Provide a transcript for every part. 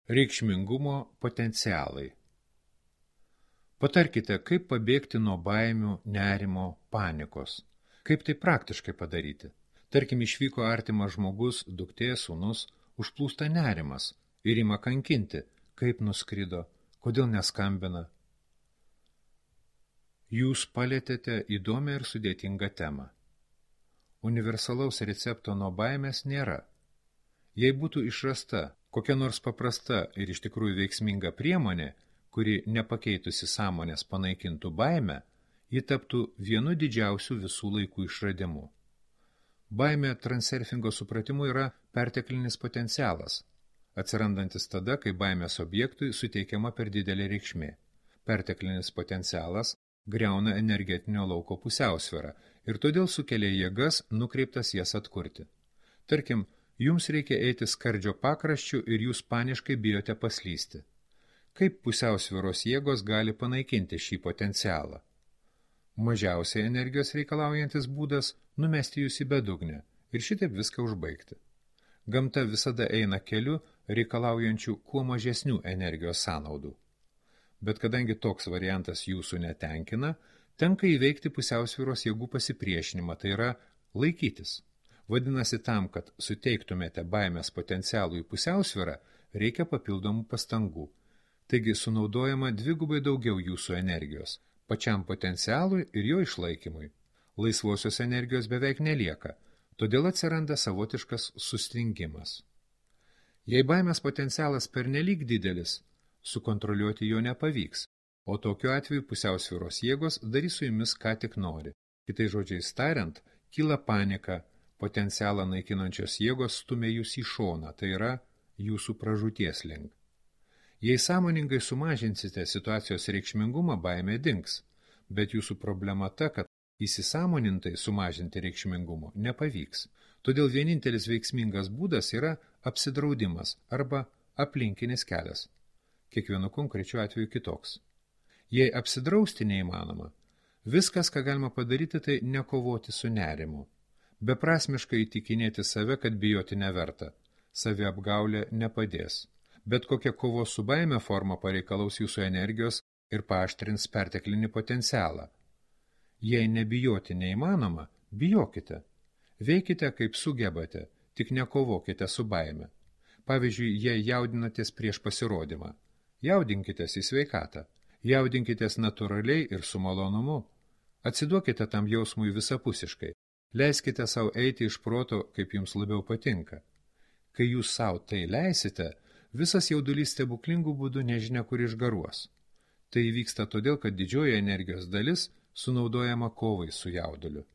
Reikšmingumo potencialai. Patarkite, kaip pabėgti nuo baimių, nerimo, panikos. Kaip tai praktiškai padaryti? Tarkim, išvyko artimas žmogus, duktė, sūnus, užplūsta nerimas ir ima kankinti, kaip nuskrido, kodėl neskambina. Jūs palietėte įdomią ir sudėtingą temą. Universalaus recepto nuo baimės nėra. Jei būtų išrasta kokia nors paprasta ir iš tikrųjų veiksminga priemonė, kuri nepakeitusi sąmonės panaikintų baimę, ji taptų vienu didžiausių visų laikų išradimu. Baimė transurfingo supratimu yra perteklinis potencialas, atsirandantis tada, kai baimės objektui suteikiama per didelė reikšmė. Perteklinis potencialas griauna energetinio lauko pusiausvyrą ir todėl sukelia jėgas nukreiptas jas atkurti. Tarkim, jums reikia eiti skardžio pakraščiu ir jūs paniškai bijote paslysti. Kaip pusiausvyros jėgos gali panaikinti šį potencialą? Mažiausiai energijos reikalaujantis būdas – numesti jūs į bedugnę ir šitaip viską užbaigti. Gamta visada eina keliu reikalaujančių kuo mažesnių energijos sąnaudų. Bet kadangi toks variantas jūsų netenkina, tenka įveikti pusiausvyros jėgų pasipriešinimą, tai yra laikytis. Vadinasi, tam, kad suteiktumėte baimės potencialų į pusiausvyrą, reikia papildomų pastangų. Taigi sunaudojama dvigubai daugiau jūsų energijos, pačiam potencialui ir jo išlaikymui. Laisvosios energijos beveik nelieka, todėl atsiranda savotiškas sustingimas. Jei baimės potencialas pernelyg didelis, sukontroliuoti jo nepavyks, o tokiu atveju pusiausvyros jėgos darys su jumis ką tik nori. Kitais žodžiais tariant, kyla panika, potencialą naikinančios jėgos stumia jūs į šoną, tai yra jūsų pražūties link. Jei sąmoningai sumažinsite situacijos reikšmingumą, baimė dings, bet jūsų problema ta, kad įsisąmonintai sumažinti reikšmingumo nepavyks. Todėl vienintelis veiksmingas būdas yra apsidraudimas arba aplinkinis kelias. Kiekvienu konkrečiu atveju kitoks. Jei apsidrausti neįmanoma, viskas, ką galima padaryti, tai nekovoti su nerimu. Beprasmiškai įtikinėti save, kad bijoti neverta. Saviapgaulė nepadės. Bet kokia kovos su baime forma pareikalaus jūsų energijos ir paaštrins perteklinį potencialą. Jei nebijoti neįmanoma, bijokite. Veikite kaip sugebate, tik nekovokite su baime. Pavyzdžiui, jei jaudinatės prieš pasirodymą, jaudinkitės į sveikatą, jaudinkitės natūraliai ir su malonumu. Atsiduokite tam jausmui visapusiškai. Leiskite savo eiti iš proto, kaip jums labiau patinka. Kai jūs savo tai leisite, visas jaudulys stebuklingų būdų nežinia kur išgaruos. Tai įvyksta todėl, kad didžioji energijos dalis sunaudojama kovai su jauduliu.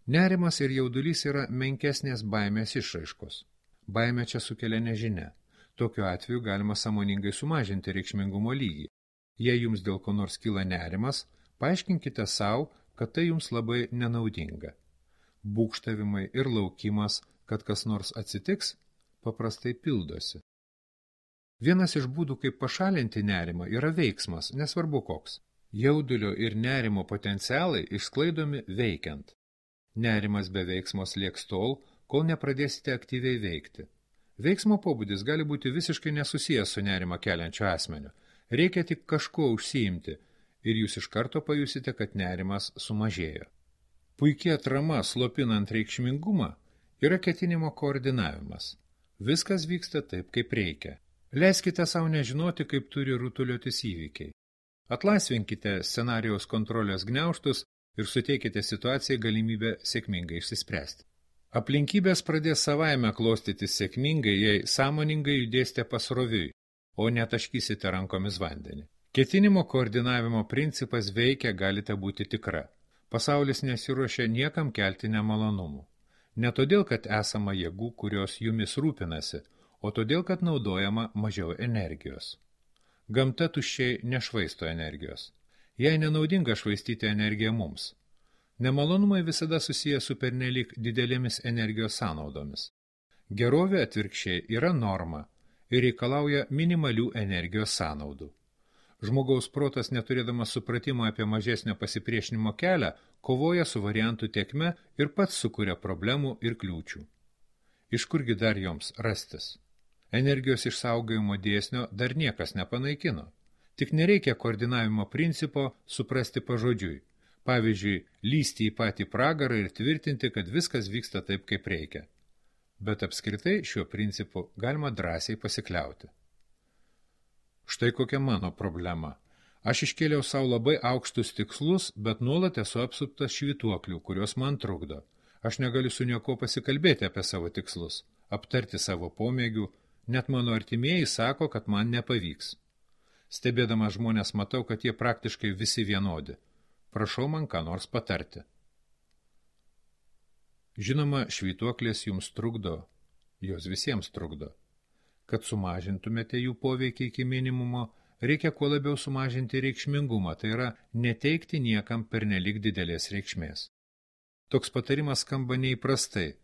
Nerimas ir jaudulys yra menkesnės baimės išraiškos. Baimė čia sukelia nežinia. Tokiu atveju galima sąmoningai sumažinti reikšmingumo lygį. Jei jums dėl ko nors kyla nerimas, paaiškinkite savo, kad tai jums labai nenaudinga. Būgštavimai ir laukimas, kad kas nors atsitiks, paprastai pildosi. Vienas iš būdų, kaip pašalinti nerimą, yra veiksmas, nesvarbu koks. Jaudulio ir nerimo potencialai išsklaidomi veikiant. Nerimas be veiksmos lieks tol, kol nepradėsite aktyviai veikti. Veiksmo pobūdis gali būti visiškai nesusijęs su nerimą keliančiu asmeniu. Reikia tik kažkuo užsiimti ir jūs iš karto pajusite, kad nerimas sumažėjo. Puikia atrama slopinant reikšmingumą yra ketinimo koordinavimas. Viskas vyksta taip, kaip reikia. Leiskite savo nežinoti, kaip turi rutuliotis įvykiai. Atlaisvinkite scenarijaus kontrolės gniaužtus ir suteikite situacijai galimybę sėkmingai išsispręsti. Aplinkybės pradės savaime klostytis sėkmingai, jei sąmoningai judėsite pasroviui, o netaškysite rankomis vandenį. Ketinimo koordinavimo principas veikia, galite būti tikra. Pasaulis nesiruošia niekam kelti nemalonumų. Ne todėl, kad esama jėgų, kurios jumis rūpinasi, o todėl, kad naudojama mažiau energijos. Gamta tuščiai nešvaisto energijos. Jai nenaudinga švaistyti energiją mums. Nemalonumai visada susiję su pernelyg didelėmis energijos sąnaudomis. Gerovė atvirkščiai yra norma ir reikalauja minimalių energijos sąnaudų. Žmogaus protas, neturėdamas supratimo apie mažesnio pasipriešinimo kelią, kovoja su variantų tėkme ir pats sukuria problemų ir kliūčių. Iš kurgi dar joms rastis? Energijos išsaugojimo dėsnio dar niekas nepanaikino. Tik nereikia koordinavimo principo suprasti pažodžiui. Pavyzdžiui, lysti į patį pragarą ir tvirtinti, kad viskas vyksta taip, kaip reikia. Bet apskritai šiuo principu galima drąsiai pasikliauti. Štai kokia mano problema. Aš iškėliau savo labai aukštus tikslus, bet nuolat esu apsuptas švytuoklių, kurios man trukdo. Aš negaliu su nieko pasikalbėti apie savo tikslus, aptarti savo pomėgių, net mano artimieji sako, kad man nepavyks. Stebėdamas žmonės matau, kad jie praktiškai visi vienodi. Prašau man ką nors patarti. Žinoma, švytuoklės jums trukdo, jos visiems trukdo. Kad sumažintumėte jų poveikį iki minimumo, reikia kuo labiau sumažinti reikšmingumą, tai yra neteikti niekam pernelyg didelės reikšmės. Toks patarimas skamba neįprastai,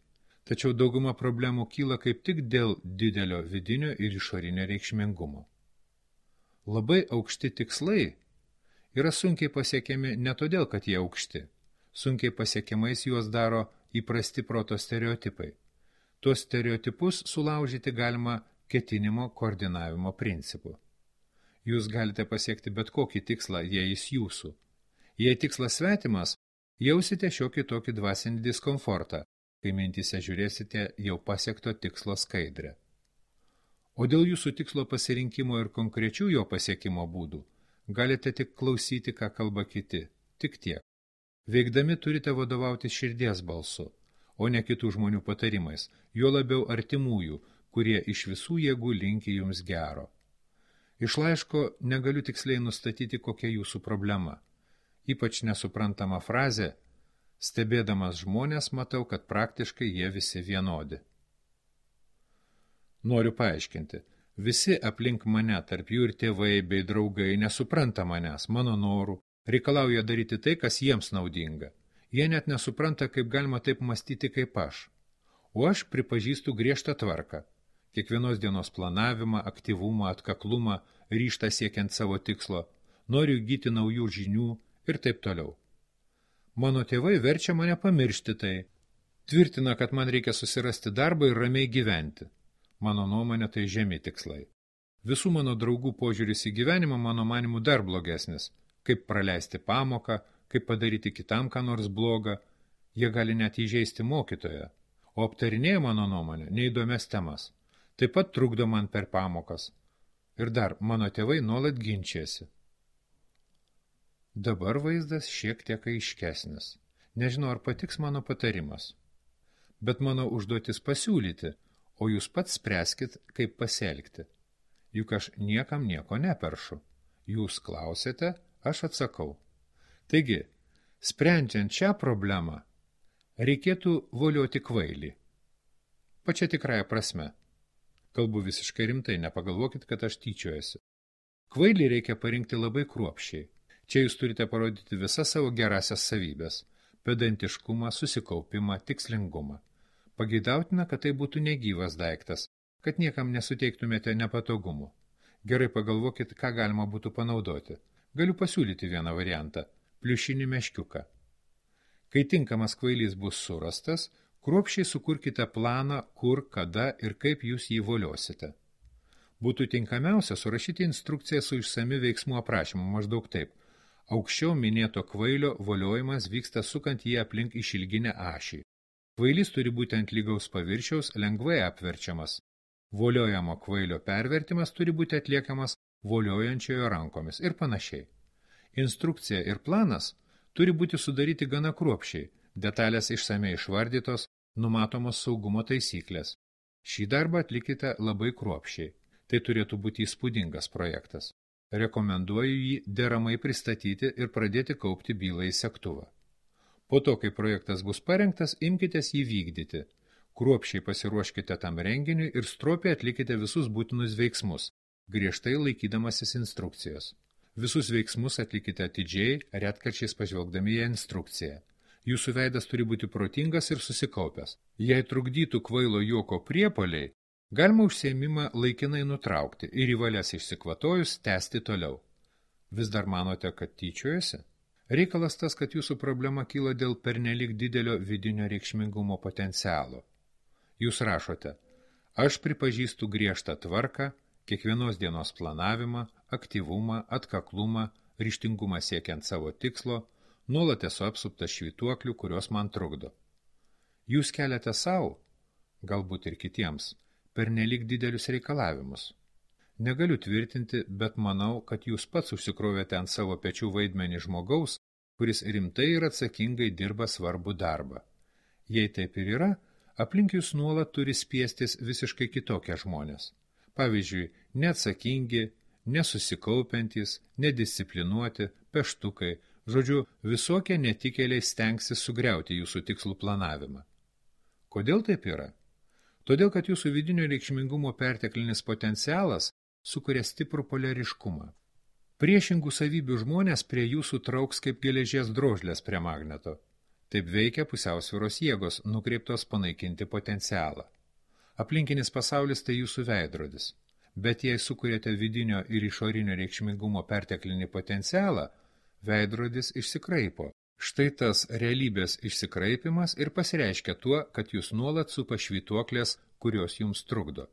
tačiau dauguma problemų kyla kaip tik dėl didelio vidinio ir išorinio reikšmingumo. Labai aukšti tikslai yra sunkiai pasiekiami ne todėl, kad jie aukšti. Sunkiai pasiekiamais juos daro įprasti proto stereotipai. Tuos stereotipus sulaužyti galima ketinimo koordinavimo principu. Jūs galite pasiekti bet kokį tikslą, jei jis jūsų. Jei tikslas svetimas, jausite šiokį tokį dvasinį diskomfortą, kai mintyse žiūrėsite jau pasiekto tikslo skaidrę. O dėl jūsų tikslo pasirinkimo ir konkrečių jo pasiekimo būdų, galite tik klausyti, ką kalba kiti, tik tiek. Veikdami turite vadovauti širdies balsu, o ne kitų žmonių patarimais, juo labiau artimųjų, kurie iš visų jėgų linki jums gero. Iš laiško negaliu tiksliai nustatyti, kokia jūsų problema. Ypač nesuprantama frazė, stebėdamas žmonės matau, kad praktiškai jie visi vienodi. Noriu paaiškinti, visi aplink mane, tarp jų ir tėvai bei draugai, nesupranta manęs, mano norų, reikalauja daryti tai, kas jiems naudinga. Jie net nesupranta, kaip galima taip mąstyti kaip aš. O aš pripažįstu griežtą tvarką. Kiekvienos dienos planavimą, aktyvumą, atkaklumą, ryžtą siekiant savo tikslo, noriu įgyti naujų žinių ir taip toliau. Mano tėvai verčia mane pamiršti tai. Tvirtina, kad man reikia susirasti darbą ir ramiai gyventi. Mano nuomonė tai žemi tikslai. Visų mano draugų požiūris į gyvenimą mano manimu dar blogesnis. Kaip praleisti pamoką, kaip padaryti kitam ką nors blogą. Jie gali net įžeisti mokytoją. O aptarinėja mano nuomonę neįdomias temas. Taip pat trukdo man per pamokas. Ir dar mano tėvai nuolat ginčiasi. Dabar vaizdas šiek tiek aiškesnis. Nežinau, ar patiks mano patarimas. Bet mano užduotis pasiūlyti, o jūs pats spręskit, kaip pasielgti. Juk aš niekam nieko neperšu. Jūs klausėte, aš atsakau. Taigi, sprendžiant šią problemą, reikėtų volioti kvailį. Pačia tikrąja prasme. Kalbu visiškai rimtai, nepagalvokit, kad aš tyčiojasi. Kvailį reikia parinkti labai kruopščiai. Čia jūs turite parodyti visas savo gerasias savybės – pedantiškumą, susikaupimą, tikslingumą. Pageidautina, kad tai būtų negyvas daiktas, kad niekam nesuteiktumėte nepatogumų. Gerai pagalvokit, ką galima būtų panaudoti. Galiu pasiūlyti vieną variantą – pliušinį meškiuką. Kai tinkamas kvailys bus surastas, kruopščiai sukurkite planą, kur, kada ir kaip jūs jį voliosite. Būtų tinkamiausia surašyti instrukciją su išsami veiksmų aprašymu maždaug taip. Aukščiau minėto kvailio voliojimas vyksta sukant jį aplink išilginę ašį. Kvailys turi būti ant lygaus paviršiaus, lengvai apverčiamas. Voliojamo kvailio pervertimas turi būti atliekamas voliojančiojo rankomis ir panašiai. Instrukcija ir planas turi būti sudaryti gana kruopščiai, detalės išsamei išvardytos, numatomos saugumo taisyklės. Šį darbą atlikite labai kruopščiai. Tai turėtų būti įspūdingas projektas. Rekomenduoju jį deramai pristatyti ir pradėti kaupti bylą į segtuvą. Po to, kai projektas bus parengtas, imkitės jį vykdyti. Kruopščiai pasiruoškite tam renginiui ir stropiai atlikite visus būtinus veiksmus, griežtai laikydamasis instrukcijos. Visus veiksmus atlikite atidžiai, retkarčiais pažvelgdami į instrukciją. Jūsų veidas turi būti protingas ir susikaupęs. Jei trukdytų kvailo juoko priepuoliai, galima užsiėmimą laikinai nutraukti ir į valias išsikvatojus tęsti toliau. Vis dar manote, kad tyčiojasi? Reikalas tas, kad jūsų problema kyla dėl pernelyg didelio vidinio reikšmingumo potencialo. Jūs rašote, Aš pripažįstu griežtą tvarką, kiekvienos dienos planavimą, aktyvumą, atkaklumą, ryžtingumą siekiant savo tikslo, nuolat esu apsuptas švytuoklių, kurios man trukdo. Jūs keliate savo, galbūt ir kitiems, pernelyg didelius reikalavimus. Negaliu tvirtinti, bet manau, kad jūs pats užsikrovėte ant savo pečių vaidmenį žmogaus, kuris rimtai ir atsakingai dirba svarbų darbą. Jei taip ir yra, aplink jūs nuolat turi spiestis visiškai kitokie žmonės. Pavyzdžiui, neatsakingi, nesusikaupiantys, nedisciplinuoti, peštukai, žodžiu, visokie netikėliai stengsis sugriauti jūsų tikslų planavimą. Kodėl taip yra? Todėl, kad jūsų vidinio reikšmingumo perteklinis potencialas sukuria stiprų poliariškumą. Priešingų savybių žmonės prie jūsų trauks kaip geležies drožlės prie magneto. Taip veikia pusiausvyros jėgos, nukreiptos panaikinti potencialą. Aplinkinis pasaulis tai jūsų veidrodis. Bet jei sukuriate vidinio ir išorinio reikšmingumo perteklinį potencialą, veidrodis išsikraipo. Štai tas realybės išsikraipimas ir pasireiškia tuo, kad jūs nuolat supa švytuoklės, kurios jums trukdo.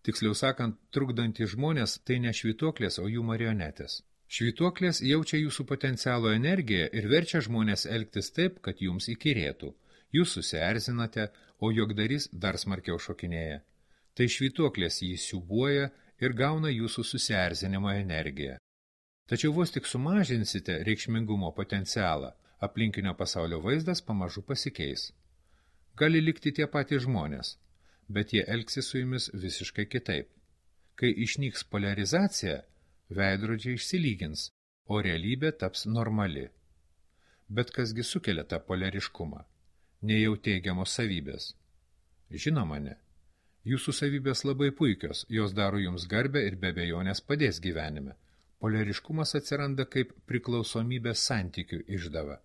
Tiksliau sakant, trukdantys žmonės tai ne švytuoklės, o jų marionetės. Švytuoklės jaučia jūsų potencialo energiją ir verčia žmonės elgtis taip, kad jums įkyrėtų. Jūs susierzinate, o juokdarys dar smarkiau šokinėja. Tai švytuoklės jį siūbuoja ir gauna jūsų susierzinimo energiją. Tačiau vos tik sumažinsite reikšmingumo potencialą, aplinkinio pasaulio vaizdas pamažu pasikeis. Gali likti tie patys žmonės, bet jie elgsis su jumis visiškai kitaip. Kai išnyks poliarizacija, veidrodžiai išsilygins, o realybė taps normali. Bet kasgi sukelia tą poliariškumą? Nejau teigiamos savybės. Žinoma, ne. Jūsų savybės labai puikios, jos daro jums garbę ir be abejonės padės gyvenime. Poliariškumas atsiranda kaip priklausomybės santykių išdava.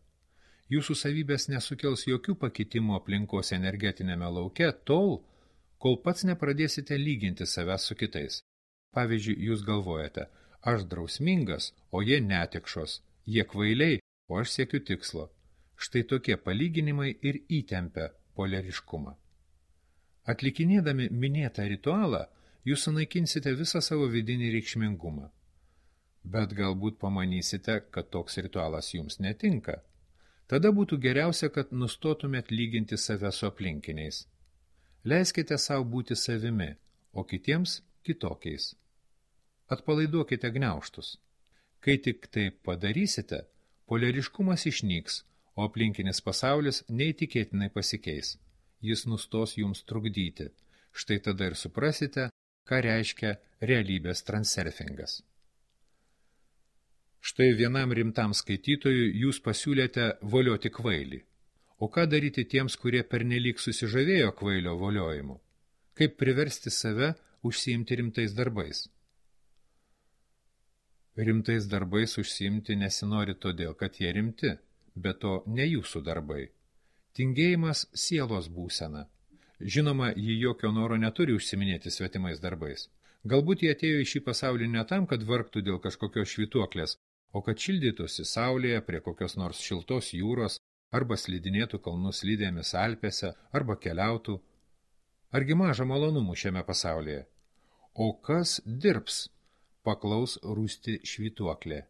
Jūsų savybės nesukels jokių pakitimų aplinkos energetinėme lauke tol, kol pats nepradėsite lyginti savęs su kitais. Pavyzdžiui, jūs galvojate, aš drausmingas, o jie netikšos, jie kvailiai, o aš siekiu tikslo. Štai tokie palyginimai ir įtempia poliariškumą. Atlikinėdami minėtą ritualą, jūs sunaikinsite visą savo vidinį reikšmingumą. Bet galbūt pamanysite, kad toks ritualas jums netinka. Tada būtų geriausia, kad nustotumėt lyginti save su aplinkiniais. Leiskite savo būti savimi, o kitiems kitokiais. Atpalaiduokite gniaužtus. Kai tik tai padarysite, poliariškumas išnyks, o aplinkinis pasaulis neįtikėtinai pasikeis. Jis nustos jums trukdyti. Štai tada ir suprasite, ką reiškia realybės transurfingas. Štai vienam rimtam skaitytojui jūs pasiūlėte volioti kvailį. O ką daryti tiems, kurie pernelyg susižavėjo kvailio voliojimu? Kaip priversti save užsiimti rimtais darbais? Rimtais darbais užsiimti nesinori todėl, kad jie rimti, bet to ne jūsų darbai. Tingėjimas sielos būsena. Žinoma, ji jokio noro neturi užsiminėti svetimais darbais. Galbūt jie atėjo į šį pasaulį ne tam, kad vargtų dėl kažkokios švytuoklės, o kad šildytųsi saulėje prie kokios nors šiltos jūros, arba slidinėtų kalnų slidėmis Alpėse, arba keliautų. Argi maža malonumų šiame pasaulyje? O kas dirbs? Paklaus rūsti švytuoklė.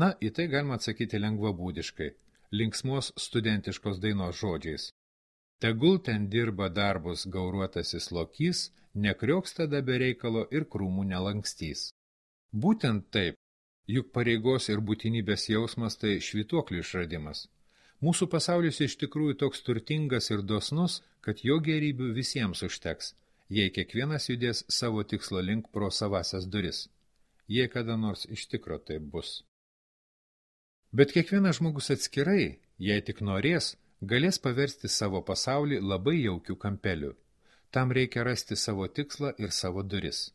Na, į tai galima atsakyti lengvabūdiškai, linksmos studentiškos dainos žodžiais. Tegul ten dirba darbus gauruotasis lokys, nekriauks tada be reikalo ir krūmų nelankstys. Būtent taip, juk pareigos ir būtinybės jausmas tai švytuoklių išradimas. Mūsų pasaulis iš tikrųjų toks turtingas ir dosnus, kad jo gėrybių visiems užteks, jei kiekvienas judės savo tikslo link pro savasias duris. Jei kada nors iš tikro taip bus. Bet kiekvienas žmogus atskirai, jei tik norės, galės paversti savo pasaulį labai jaukių kampelių. Tam reikia rasti savo tikslą ir savo duris.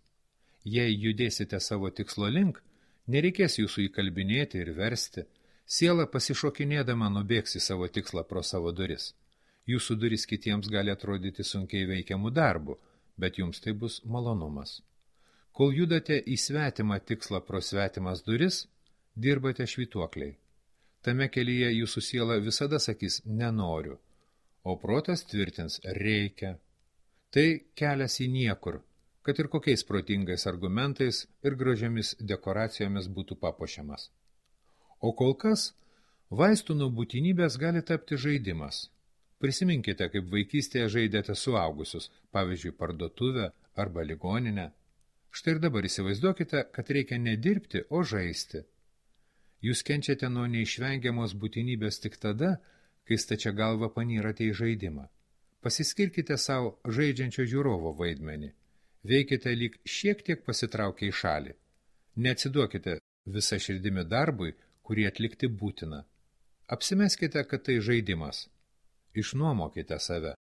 Jei judėsite savo tikslo link, nereikės jūsų įkalbinėti ir versti. Siela pasišokinėdama nubėgs į savo tikslą pro savo duris. Jūsų duris kitiems gali atrodyti sunkiai veikiamų darbų, bet jums tai bus malonumas. Kol judate į svetimą tikslą pro svetimas duris, dirbate švytuokliai. Tame kelyje jūsų siela visada sakys nenoriu, o protas tvirtins reikia. Tai kelias į niekur, kad ir kokiais protingais argumentais ir gražiamis dekoracijomis būtų papuošiamas. O kol kas, vaistų nuo būtinybės gali tapti žaidimas. Prisiminkite, kaip vaikystėje žaidėte suaugusius, pavyzdžiui, parduotuvę arba ligoninę. Štai ir dabar įsivaizduokite, kad reikia ne dirbti, o žaisti. Jūs kenčiate nuo neišvengiamos būtinybės tik tada, kai stačia galva panyrate į žaidimą. Pasiskirkite savo žaidžiančio žiūrovo vaidmenį. Veikite lyg šiek tiek pasitraukę į šalį. Neatsiduokite visą širdimi darbui, kurį atlikti būtina. Apsimeskite, kad tai žaidimas. Išnuomokite save.